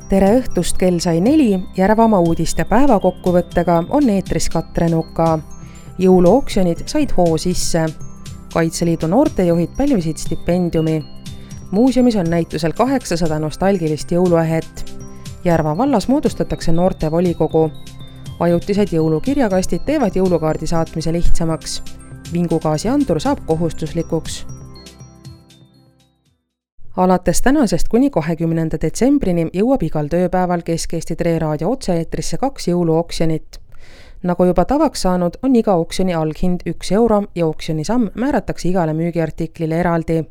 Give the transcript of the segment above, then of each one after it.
Tere õhtust, kell sai 4, Järvamaa uudiste päevakokkuvõttega on eetris Katre Nuka. Jõuluoksjonid said hoo sisse. Kaitseliidu noortejuhid pälvisid stipendiumi. Muuseumis on näitusel 800 nostalgilist jõuluähet. Järva vallas moodustatakse noortevolikogu. Ajutised jõulukirjakastid teevad jõulukaardi saatmise lihtsamaks. Vingugaasiandur saab kohustuslikuks. Alates tänasest kuni 20. detsembrini jõuab igal tööpäeval Kesk-Eesti Raadio otse-eetrisse 2 jõuluoksjonit. Nagu juba tavaks saanud, on iga oksjoni alghind 1 euro ja oksjoni samm määratakse igale müügiartiklile eraldi.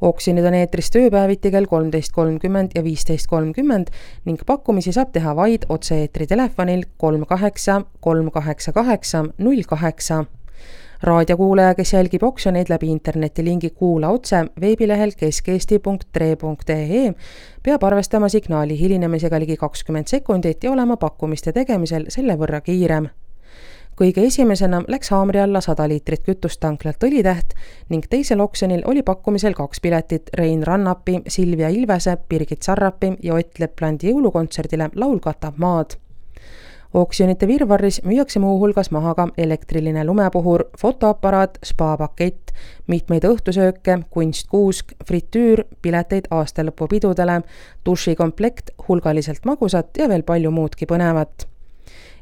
Oksjonid on eetris tööpäeviti kell 13.30 ja 15.30 ning pakkumisi saab teha vaid otse-eetri telefonil 38 388 08. Raadiokuulaja, kes jälgib oksjoneid läbi internetilingi Kuula otse veebilehel keskeesti.tre.ee, peab arvestama signaali hilinemisega ligi 20 sekundit ja olema pakkumiste tegemisel selle võrra kiirem. Kõige esimesena läks haamri alla 100 liitrit kütust tanklalt Õlitäht ning teisel oksjonil oli pakkumisel 2 piletit Rein Rannapi, Silvia Ilvese, Birgit Sarrapi ja Ott Leplandi jõulukontserdile Laul katab maad. Oksjonite virvarris müüakse muu hulgas maha ka elektriline lumepuhur, fotoaparaat, spa-pakett, mitmeid õhtusööke, kunstkuusk, fritüür, pileteid aastalõpupidudele, dušikomplekt, hulgaliselt magusat ja veel palju muudki põnevat.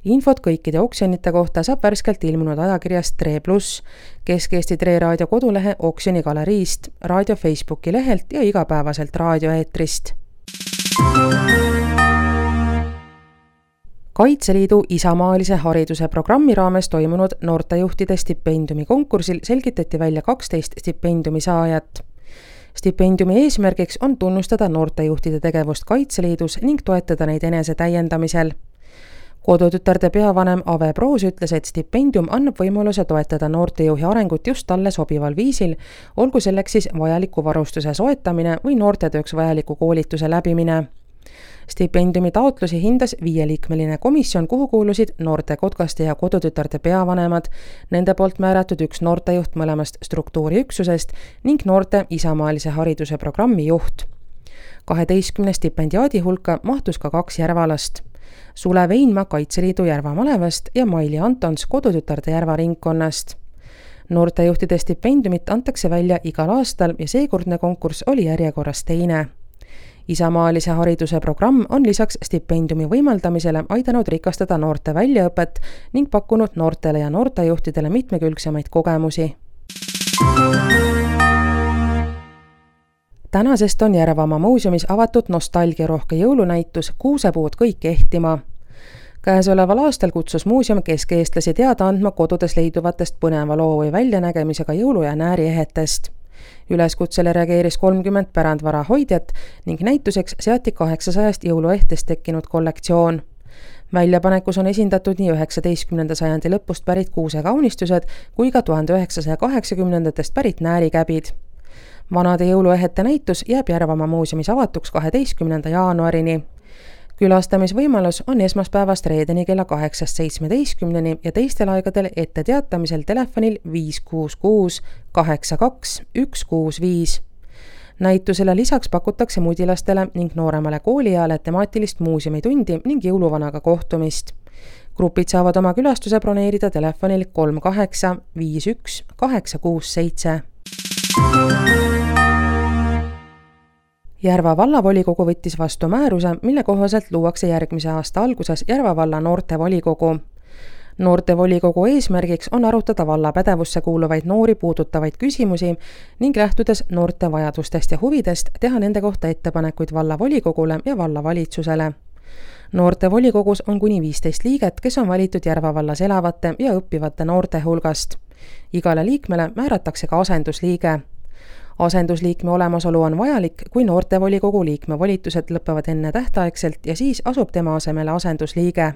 Infot kõikide oksjonite kohta saab värskelt ilmunud ajakirjast Tre+, Kesk-Eesti Raadio kodulehe oksjoni galeriist, raadio Facebooki lehelt ja igapäevaselt raadioeetrist. Kaitseliidu isamaalise hariduse programmi raames toimunud noortejuhtide stipendiumi konkursil selgitati välja 12 stipendiumi saajat. Stipendiumi eesmärgiks on tunnustada noortejuhtide tegevust Kaitseliidus ning toetada neid enese täiendamisel. Kodutütarde peavanem Ave Proos ütles, et stipendium annab võimaluse toetada noortejuhi arengut just talle sobival viisil, olgu selleks siis vajaliku varustuse soetamine või noortetööks vajaliku koolituse läbimine. Stipendiumi taotlusi hindas 5-liikmeline komisjon, kuhu kuulusid noorte kotkaste ja kodutütarde peavanemad, nende poolt määratud 1 noortejuht mõlemast struktuuriüksusest ning noorte isamaalise hariduse programmi juht. 12 stipendiaadi hulka mahtus ka 2 järvalast. Sule Veinma Kaitseliidu Järva malevast ja Maili Antons kodutütarde Järva ringkonnast. Noortejuhtide stipendiumit antakse välja igal aastal ja seekordne konkurss oli järjekorras teine. Isamaalise hariduse programm on lisaks stipendiumi võimaldamisele aidanud rikastada noorte väljaõpet ning pakkunud noortele ja noortejuhtidele mitmekülgsemaid kogemusi. Tänasest on Järvamaa muuseumis avatud nostalgiarohke jõulunäitus Kuusepuud kõik ehtima. Käesoleval aastal kutsus muuseum keskeestlasi teada andma kodudes leiduvatest põneva loo või väljanägemisega jõulu- ja nääriähetest. Üleskutsele reageeris 30 pärandvara hoidjat ning näituseks seati 800 jõuluehtest tekkinud kollektsioon. Väljapanekus on esindatud nii 19. sajandi lõpust pärit kuusekaunistused kui ka 1980-ndatest pärit näärikäbid. Vanade jõuluehete näitus jääb Järvamaa muuseumis avatuks 12. jaanuarini. Külastamisvõimalus on esmaspäevast reedeni kella 8-17 ja teistel aegadel ette teatamisel telefonil 566 82 165. Näitusele lisaks pakutakse mudilastele ning nooremale koolieale temaatilist muuseumitundi ning jõuluvanaga kohtumist. Grupid saavad oma külastuse broneerida telefonil 38 51 867. Järva vallavolikogu võttis vastu määruse, mille kohaselt luuakse järgmise aasta alguses Järva valla noortevolikogu. Noortevolikogu eesmärgiks on arutada valla pädevusse kuuluvaid noori puudutavaid küsimusi ning lähtudes noorte vajadustest ja huvidest teha nende kohta ettepanekuid vallavolikogule ja vallavalitsusele. Noortevolikogus on kuni 15 liiget, kes on valitud Järva vallas elavate ja õppivate noorte hulgast. Igale liikmele määratakse ka asendusliige. Asendusliikme olemasolu on vajalik, kui noortevolikogu liikme volitused lõpevad enne tähtaegselt ja siis asub tema asemele asendusliige.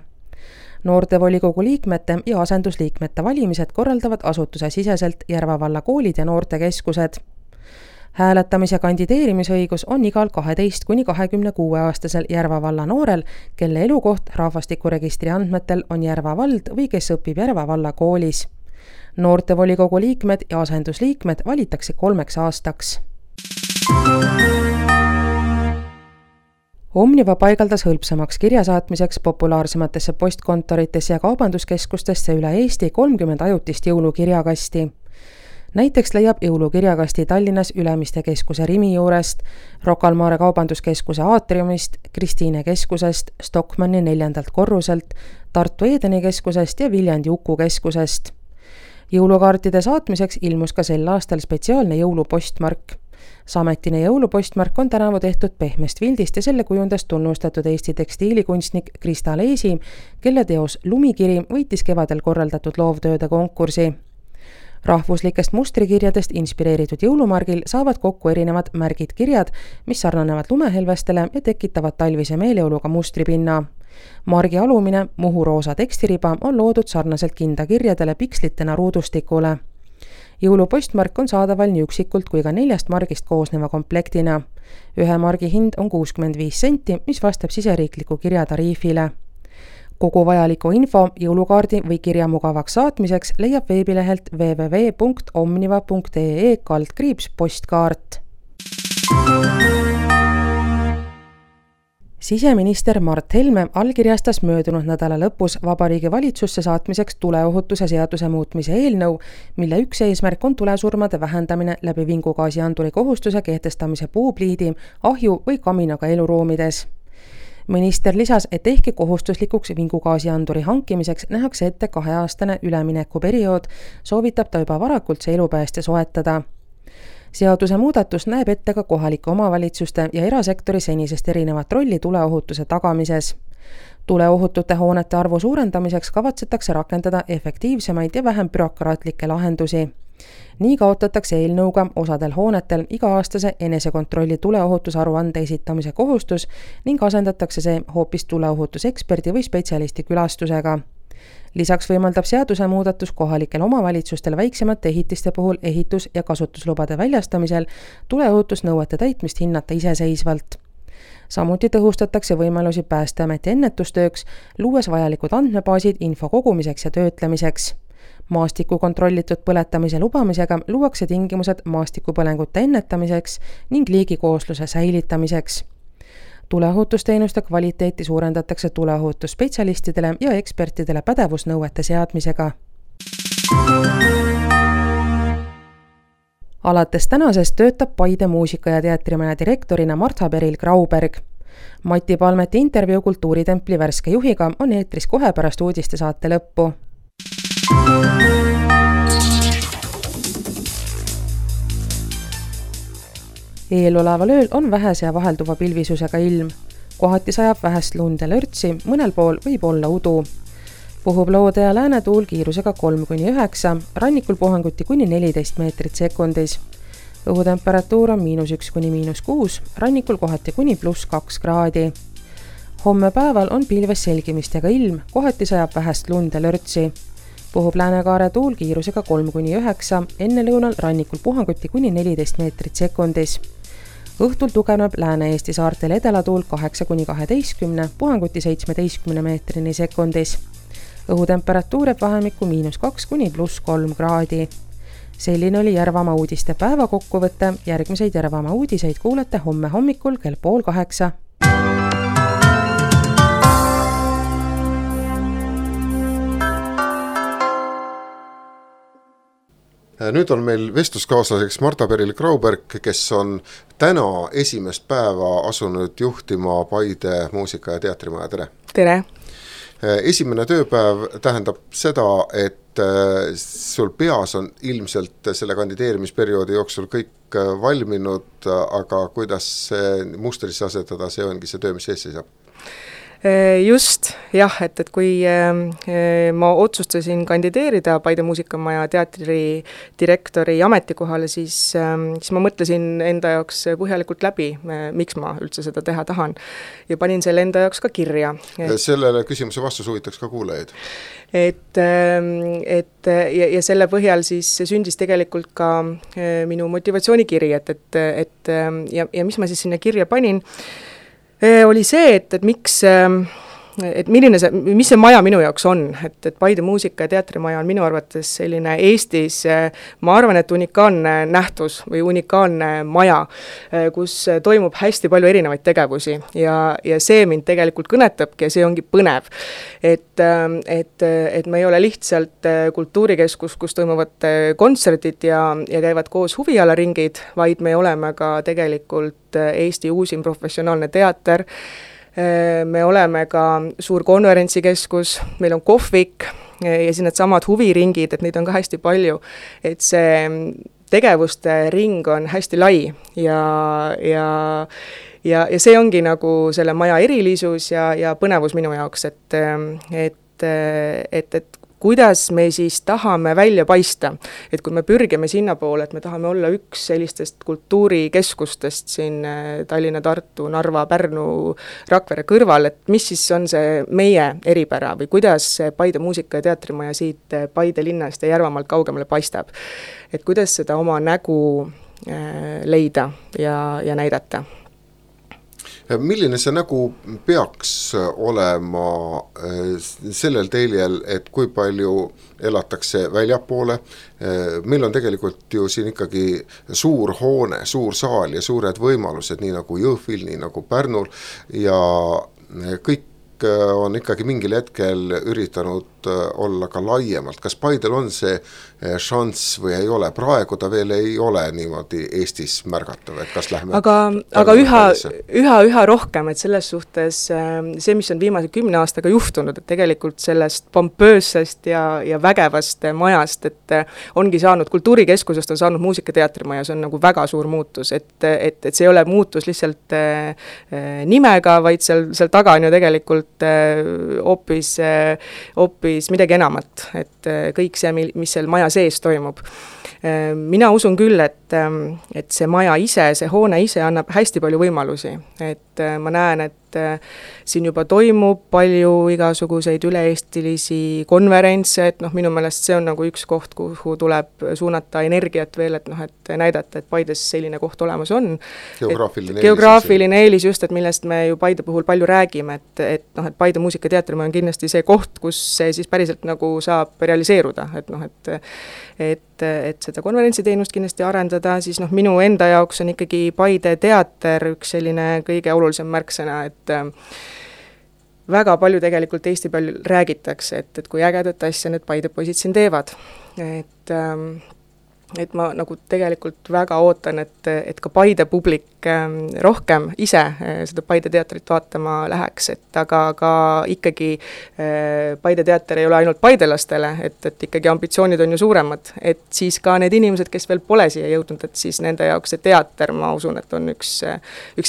Noortevolikogu liikmete ja asendusliikmete valimised korraldavad asutuse siseselt Järva valla koolid ja noortekeskused. Hääletamise kandideerimisõigus on igal 12–26-aastasel Järva valla noorel, kelle elukoht rahvastikuregistri andmetel on Järva vald või kes õpib Järva valla koolis. Noortevolikogu liikmed ja asendusliikmed valitakse 3 aastaks. Omniva paigaldas hõlpsamaks kirjasaatmiseks populaarsematesse postkontoritesse ja kaubanduskeskustesse üle Eesti 30 ajutist jõulukirjakasti. Näiteks leiab jõulukirjakasti Tallinnas Ülemiste keskuse Rimi juurest, Rocca al Mare kaubanduskeskuse aatriumist, Kristiine keskusest, Stockmanni 4. korruselt, Tartu Edeni keskusest ja Viljandi Uku keskusest. Jõulukaartide saatmiseks ilmus ka sel aastal spetsiaalne jõulupostmark. Sametine jõulupostmark on tänavu tehtud pehmest vildist ja selle kujundas tunnustatud Eesti tekstiilikunstnik Krista Leesi, kelle teos Lumikiri võitis kevadel korraldatud loovtööde konkursi. Rahvuslikest mustrikirjadest inspireeritud jõulumargil saavad kokku erinevad märgid kirjad, mis sarnanevad lumehelvestele ja tekitavad talvise meeleoluga mustripinna. Margi alumine muhuroosa tekstiriba on loodud sarnaselt kindakirjadele pikslitena ruudustikule. Jõulupostmark on saadaval nii üksikult kui ka 4 margist koosneva komplektina. 1 margi hind on 65 senti, mis vastab siseriikliku kirjatariifile. Kogu vajaliku info jõulukaardi või kirja mugavaks saatmiseks leiab veebilehelt www.omniva.ee/postkaart. Siseminister Mart Helme allkirjastas möödunud nädala lõpus Vabariigi Valitsusse saatmiseks tuleohutuse seaduse muutmise eelnõu, mille üks eesmärk on tulesurmade vähendamine läbi vingugaasianduri kohustuse kehtestamise puupliidi, ahju või kaminaga eluruumides. Minister lisas, et ehkki kohustuslikuks vingugaasianduri hankimiseks nähakse ette 2-aastane üleminekuperiood, soovitab ta juba varakult see elupäästja soetada. Seaduse muudatus näeb ette ka kohalike omavalitsuste ja erasektori senisest erinevat rolli tuleohutuse tagamises. Tuleohutute hoonete arvu suurendamiseks kavatsetakse rakendada efektiivsemaid ja vähem bürokraatlikke lahendusi. Nii kaotatakse eelnõuga osadel hoonetel iga-aastase enesekontrolli tuleohutusaruande esitamise kohustus ning asendatakse see hoopis tuleohutuseksperdi või spetsialisti külastusega. Lisaks võimaldab seaduse muudatus kohalikel omavalitsustel väiksemate ehitiste puhul ehitus- ja kasutuslubade väljastamisel tuleohutusnõuete täitmist hinnata iseseisvalt. Samuti tõhustatakse võimalusi Päästeameti ennetustööks, luues vajalikud andmebaasid info kogumiseks ja töötlemiseks. Maastiku kontrollitud põletamise lubamisega luuakse tingimused maastikupõlengute ennetamiseks ning liigikoosluse säilitamiseks. Tuleohutusteenuste kvaliteeti suurendatakse tuleohutusspetsialistidele ja ekspertidele pädevusnõuete seadmisega. Alates tänasest töötab Paide muusika- ja teatrimaja direktorina Martha Peril-Grauberg. Mati Palmeti intervjuu Kultuuritempli värske juhiga on eetris kohe pärast uudistesaate lõppu. Eeloleval ööl on vähese ja vahelduva pilvisusega ilm. Kohati sajab vähest lund ja lörtsi, mõnel pool võib olla udu. Puhub loode ja läänetuul kiirusega 3–9, rannikul puhanguti kuni 14 meetrit sekundis. Õhutemperatuur on -1––6, rannikul kohati kuni +2 kraadi. Homme päeval on pilves selgimistega ilm, kohati sajab vähest lund ja lörtsi. Puhub läänekaare tuul kiirusega 3–9, enne lõunal rannikul puhanguti kuni 14 meetrit sekundis. Õhtul tugevneb Lääne-Eesti saartel edelatuul 8–12, puhanguti 17 meetrini sekundis. Õhutemperatuur jääb vahemikku -2–+3 kraadi. Selline oli Järvamaa uudiste päeva kokkuvõte, järgmiseid Järvamaa uudiseid kuulete homme hommikul kell 7:30. Nüüd on meil vestluskaaslaseks Martha Peril-Grauberg, kes on täna esimest päeva asunud juhtima Paide muusika- ja teatrimaja. Tere! Tere! Esimene tööpäev tähendab seda, et sul peas on ilmselt selle kandideerimisperioodi jooksul kõik valminud, aga kuidas see mustrisse asetada, see ongi see töö, mis ees seisab? Just, jah, et kui ma otsustasin kandideerida Paide muusikamaja teatri direktori ametikohale, siis ma mõtlesin enda jaoks põhjalikult läbi, miks ma üldse seda teha tahan. Ja panin selle enda jaoks ka kirja. Sellele küsimuse vastus huvitaks ka kuulajaid. Ja selle põhjal siis sündis tegelikult ka minu motivatsioonikiri, ja mis ma siis sinna kirja panin, oli see, et miks mis see maja minu jaoks on, et Paide muusika- ja teatrimaja on minu arvates selline Eestis, ma arvan, et unikaalne nähtus või unikaalne maja, kus toimub hästi palju erinevaid tegevusi ja see mind tegelikult kõnetabki ja see ongi põnev. Et me ei ole lihtsalt kultuurikeskus, kus toimuvad kontserdid ja käivad koos huvialaringid, vaid me oleme ka tegelikult Eesti uusim professionaalne teater, me oleme ka suur konverentsikeskus, meil on kohvik ja siis need samad huviringid, et neid on ka hästi palju, et see tegevuste ring on hästi lai ja see ongi nagu selle maja erilisus ja põnevus minu jaoks, et kuidas me siis tahame välja paista, et kui me pürgime sinna poole, et me tahame olla üks sellistest kultuurikeskustest siin Tallinna, Tartu, Narva, Pärnu, Rakvere kõrval, et mis siis on see meie eripära või kuidas Paide muusika- ja teatrimaja siit Paide linnast ja Järvamaalt kaugemale paistab. Et kuidas seda oma nägu leida ja näidata. Milline see nägu peaks olema sellel teljel, et kui palju elatakse väljapoole, meil on tegelikult ju siin ikkagi suur hoone, suur saal ja suured võimalused, nii nagu Jõhvil, nii nagu Pärnul ja kõik on ikkagi mingil hetkel üritanud olla ka laiemalt. Kas Paidel on see šanss või ei ole? Praegu ta veel ei ole niimoodi Eestis märgatav, et kas lähme... Aga üha rohkem, et selles suhtes see, mis on viimase 10 aastaga juhtunud, et tegelikult sellest pompöössest ja vägevast majast, et ongi saanud, kultuurikeskusest on saanud muusika-teatrimaja, see on nagu väga suur muutus, et see ei ole muutus lihtsalt nimega, vaid seal taga on ju tegelikult hoopis midagi enamat, et kõik see, mis seal maja sees toimub. Mina usun küll, et see maja ise, see hoone ise annab hästi palju võimalusi, et ma näen, et siin juba toimub palju igasuguseid üle-eestilisi konverentse, et minu meelest see on nagu üks koht, kuhu tuleb suunata energiat veel, et et näidata, et Paides selline koht olemas on. Geograafiline eelis just, et millest me ju Paide puhul palju räägime, et Paide muusika- ja teatrimaja on kindlasti see koht, kus see siis päriselt nagu saab realiseeruda, et seda konverentsiteenust kindlasti arendada, siis minu enda jaoks on ikkagi Paide teater üks selline kõige olulisem märksõna, et väga palju tegelikult Eesti peal räägitakse, et kui ägedat asja need Paide poisid siin teevad, et ma nagu tegelikult väga ootan, et ka Paide publik rohkem ise seda Paide teatrit vaatama läheks, et aga ka ikkagi Paide teater ei ole ainult paidelastele, et ikkagi ambitsioonid on ju suuremad, et siis ka need inimesed, kes veel pole siia jõudnud, et siis nende jaoks see teater, ma usun, et on üks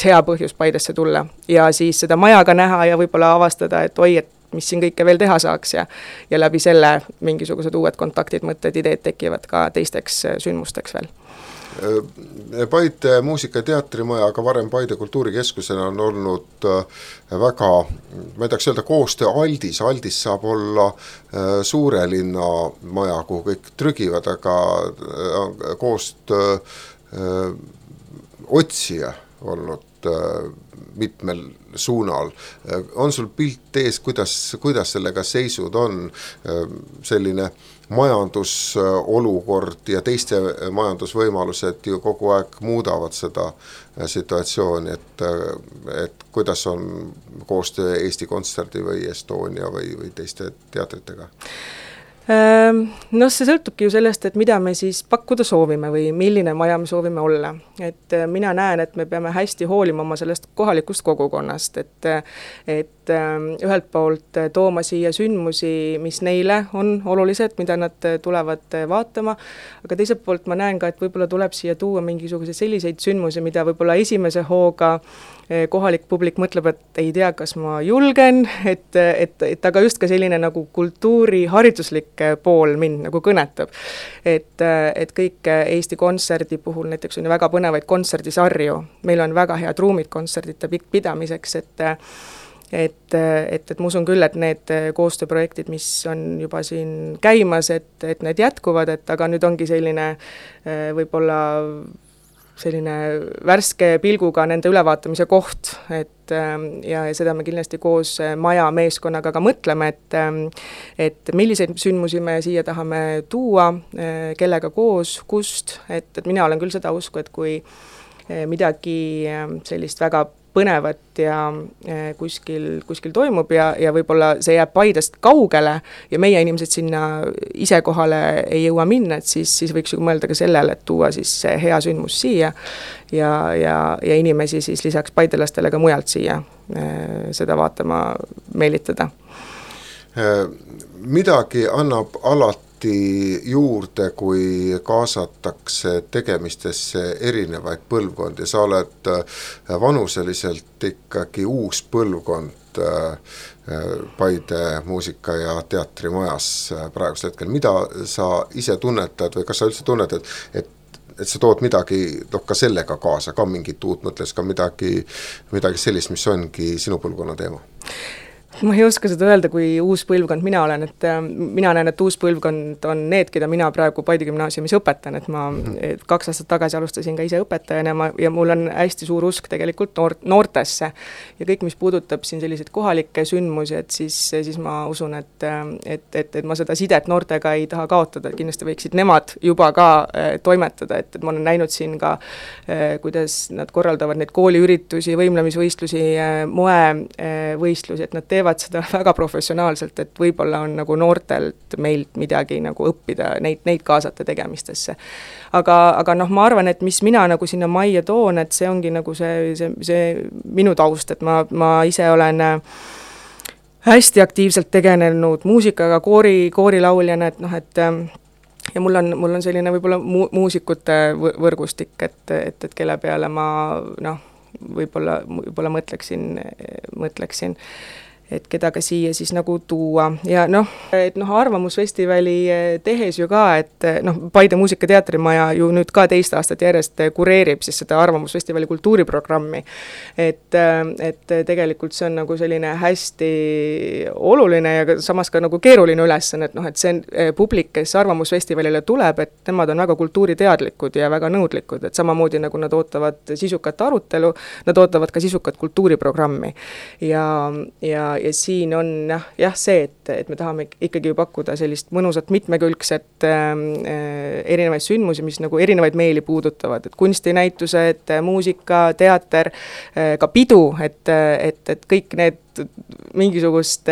hea põhjus Paidesse tulla ja siis seda majaga näha ja võib-olla avastada, et oi, et mis siin kõike veel teha saaks ja läbi selle mingisugused uued kontaktid, mõtted, ideed tekivad ka teisteks sündmusteks veel. Paide muusika- ja teatrimaja, aga varem Paide kultuurikeskusena on olnud väga, ma ei tahaks öelda koostöö aldis saab olla suure linna maja, kuhu kõik trügivad, aga koostöö otsija olnud mitmel suunal. On sul pilt ees, kuidas sellega seisud on, selline majandusolukord ja teiste majandusvõimalused ju kogu aeg muudavad seda situatsiooni, et kuidas on koostöö Eesti Kontserdi või Estonia või teiste teatritega? See sõltubki ju sellest, et mida me siis pakkuda soovime või milline maja me soovime olla. Et mina näen, et me peame hästi hoolima oma sellest kohalikust kogukonnast, et ühelt poolt tooma siia sündmusi, mis neile on olulised, mida nad tulevad vaatama, aga teiselt poolt ma näen ka, et võib-olla tuleb siia tuua mingisuguseid selliseid sündmusi, mida võib-olla esimese hooga kohalik publik mõtleb, et ei tea, kas ma julgen, et aga just ka selline nagu kultuurihariduslik pool mind nagu kõnetab. Et kõik Eesti Kontserdi puhul näiteks on ju väga põnevaid kontserdisarju, meil on väga head ruumid kontserdite pidamiseks, et ma usun küll, et need koostööprojektid, mis on juba siin käimas, et need jätkuvad, et aga nüüd ongi selline võib-olla selline värske pilguga nende ülevaatamise koht, et ja seda me kindlasti koos maja meeskonnaga ka mõtleme, et milliseid sündmusi me siia tahame tuua, kellega koos, kust, et mina olen küll seda usku, et kui midagi sellist väga põnevat ja kuskil toimub ja võib-olla see jääb Paidest kaugele ja meie inimesed sinna ise kohale ei jõua minna, et siis võiks ju mõelda ka sellele, et tuua siis see hea sündmus siia ja inimesi siis lisaks paidelastele ka mujalt siia seda vaatama meelitada. Midagi annab alati juurde, kui kaasatakse tegemistesse erinevaid põlvkondi. Sa oled vanuseliselt ikkagi uus põlvkond Paide muusika- ja teatrimajas praegusel hetkel. Mida sa ise tunnetad või kas sa üldse tunnetad, et sa tood midagi ka sellega kaasa, ka mingit uut mõtles, ka midagi sellist, mis ongi sinu põlvkonna teema? Ma ei oska seda öelda, kui uus põlvkond mina olen, et mina näen, et uus põlvkond on need, keda mina praegu Paide gümnaasiumis õpetan, et ma 2 aastat tagasi alustasin ka ise õpetajana ja mul on hästi suur usk tegelikult noortesse ja kõik, mis puudutab siin selliseid kohalikke sündmusi, et siis ma usun, et ma seda sidet noortega ei taha kaotada, et kindlasti võiksid nemad juba ka toimetada, et ma olen näinud siin ka, kuidas nad korraldavad neid kooliüritusi, võimlemisvõistlusi, moevõistlusi, et nad teevad seda väga professionaalselt, et võib-olla on nagu noortelt meilt midagi nagu õppida, neid kaasata tegemistesse. Aga ma arvan, et mis mina nagu sinna majja toon, et see ongi nagu see minu taust, et ma ise olen hästi aktiivselt tegelenud muusikaga, koorilauljana, et ja mul on selline võib-olla muusikute võrgustik, et kelle peale ma võib-olla mõtleksin, et keda ka siia siis nagu tuua ja Arvamusfestivali tehes ju ka, et Paide muusika-teatrimaja ju nüüd ka 2 aastat järjest kureerib siis seda Arvamusfestivali kultuuriprogrammi, et tegelikult see on nagu selline hästi oluline ja samas ka nagu keeruline ülesanne, et see publik, kes Arvamusfestivalile tuleb, et nemad on väga kultuuriteadlikud ja väga nõudlikud, et samamoodi nagu nad ootavad sisukat arutelu, nad ootavad ka sisukat kultuuriprogrammi ja siin on see, et me tahame ikkagi pakkuda sellist mõnusat mitmekülgset erinevaid sündmusi, mis nagu erinevaid meeli puudutavad, et kunstinäitused, muusika, teater, ka pidu, et kõik need mingisugust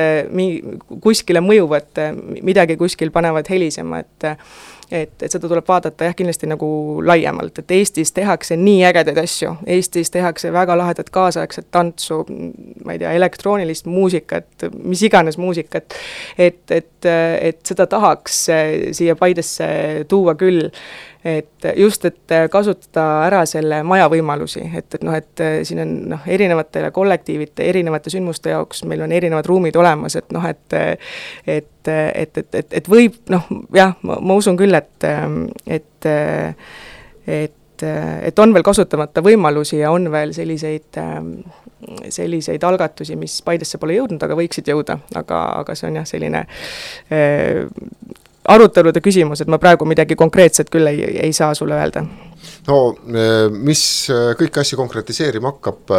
kuskile mõjuvad, midagi kuskil panevad helisema, et seda tuleb vaadata kindlasti nagu laiemalt, et Eestis tehakse nii ägedaid asju, Eestis tehakse väga lahedat kaasaegset tantsu, ma ei tea, elektroonilist muusikat, mis iganes muusikat, et seda tahaks siia Paidesse tuua küll, et kasutada ära selle maja võimalusi, et siin on erinevatele kollektiivite, erinevate sündmuste jaoks meil on erinevad ruumid olemas, et võib, ma usun küll, et on veel kasutamata võimalusi ja on veel selliseid algatusi, mis Paidesse pole jõudnud, aga võiksid jõuda, aga see on selline arutelude küsimus, et ma praegu midagi konkreetset küll ei saa sulle öelda. No, mis kõiki asju konkretiseerima hakkab,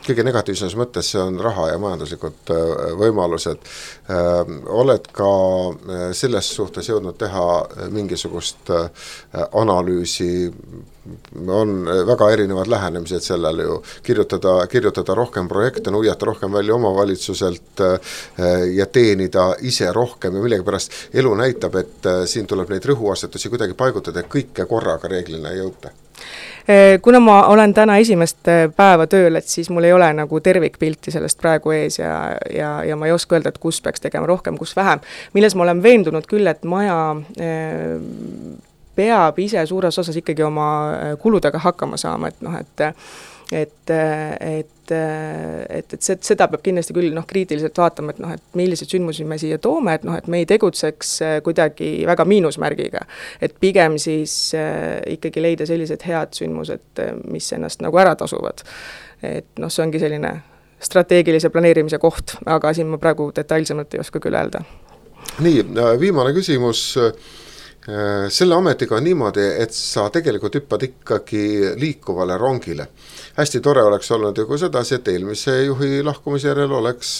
kõige negatiivses mõttes see on raha ja majanduslikud võimalused. Oled ka selles suhtes jõudnud teha mingisugust analüüsi, on väga erinevad lähenemised sellele ju, kirjutada rohkem projekte, nuiata rohkem välja omavalitsuselt ja teenida ise rohkem ja millegipärast elu näitab, et siin tuleb neid rõhuasetusi kuidagi paigutada ja kõike korraga reeglina ei jõuta. Kuna ma olen täna esimest päeva tööl, et siis mul ei ole nagu tervikpilti sellest praegu ees ja ma ei oska öelda, et kus peaks tegema rohkem, kus vähem. Milles ma olen veendunud küll, et maja peab ise suures osas ikkagi oma kuludega hakkama saama, et seda peab kindlasti küll kriitiliselt vaatama, et millised sündmusi me siia toome, et me ei tegutseks kuidagi väga miinusmärgiga, et pigem siis ikkagi leida sellised head sündmused, mis ennast nagu ära tasuvad. Et see ongi selline strateegilise planeerimise koht, aga siin ma praegu detailsemalt ei oska küll öelda. Nii, viimane küsimus. Selle ametiga on niimoodi, et sa tegelikult hüppad ikkagi liikuvale rongile. Hästi tore oleks olnud ju kui sedasi, et eelmise juhi lahkumise järel oleks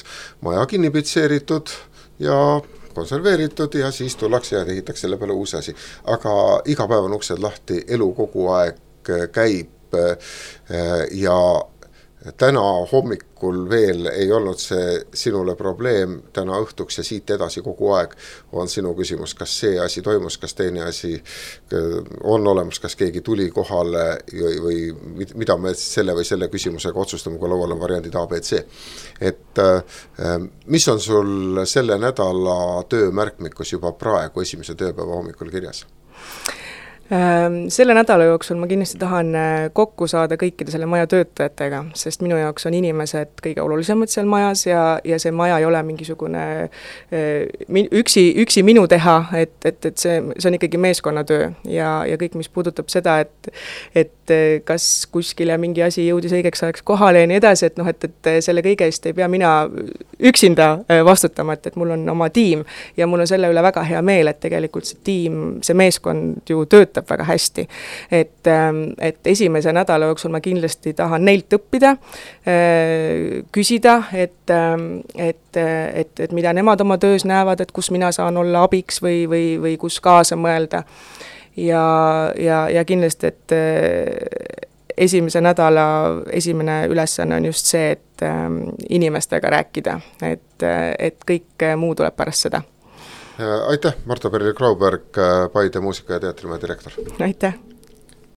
maja kinnipitseeritud ja konserveeritud ja siis tullakse ja ehitaks selle peale uus asi. Aga iga päev on uksed lahti, elu kogu aeg käib ja täna hommikul veel ei olnud see sinule probleem, täna õhtuks ja siit edasi kogu aeg on sinu küsimus, kas see asi toimus, kas teine asi on olemas, kas keegi tuli kohale või mida me selle või selle küsimusega otsustame, kui laual on variandid A, B, C. Et mis on sul selle nädala töömärkmikus juba praegu esimese tööpäeva hommikul kirjas? Selle nädala jooksul ma kindlasti tahan kokku saada kõikide selle maja töötajatega, sest minu jaoks on inimesed kõige olulisemad seal majas ja see maja ei ole mingisugune üksi minu teha, et see on ikkagi meeskonnatöö ja kõik, mis puudutab seda, et kas kuskile mingi asi jõudis õigeks ajaks kohale ja nii edasi, et selle kõige eest ei pea mina üksinda vastutama, et mul on oma tiim ja mul on selle üle väga hea meel, et tegelikult see tiim, see meeskond ju töötab väga hästi. Et esimese nädala jooksul ma kindlasti tahan neilt õppida, küsida, et mida nemad oma töös näevad, et kus mina saan olla abiks või kus kaasa mõelda. Ja kindlasti, et esimese nädala esimene ülesanne on just see, et inimestega rääkida, et kõik muu tuleb pärast seda. Aitäh, Marta Perli-Grauberg, Paide muusika- ja teatrimaja direktor. Aitäh!